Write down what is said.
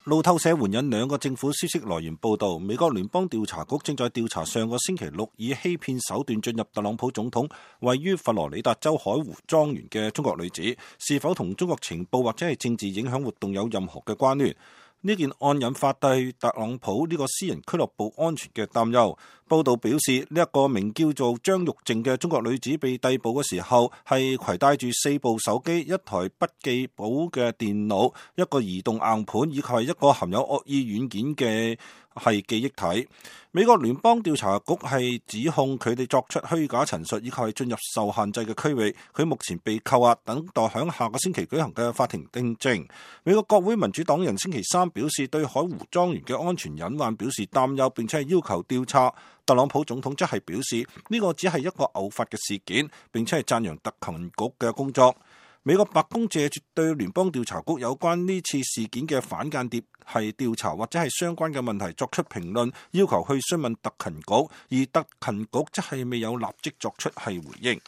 路透社援引兩個政府消息來源報道，美國聯邦調查局正在調查上個星期六以欺騙手段進入特朗普總統位於佛羅里達州海湖莊園嘅中國女子，是否同中國情報或者係政治影響活動有任何嘅關聯。呢件案引發對特朗普呢個私人俱樂部安全嘅擔憂。報道表示，呢一個名叫做張玉靜嘅中國女子被逮捕嘅時候，係攜帶住4部手機、一台筆記簿嘅電腦、一個移動硬盤以及係一個含有惡意軟件嘅記憶體。美國聯邦調查局係指控佢哋作出虛假陳述，以及係進入受限制嘅區域。佢目前被扣押，等待響下個星期舉行嘅法庭聽證。美國國會民主黨人星期三表示對海湖莊園嘅安全隱患表示擔憂，並且係要求調查。特朗普總統則係表示呢個只係一個偶發嘅事件，並且係讚揚特勤局嘅工作。美國白宮借住對聯邦調查局有關呢次事件嘅反間諜係調查或者係相關嘅問題作出評論，要求去詢問特勤局，而特勤局則係未有立即作出係回應。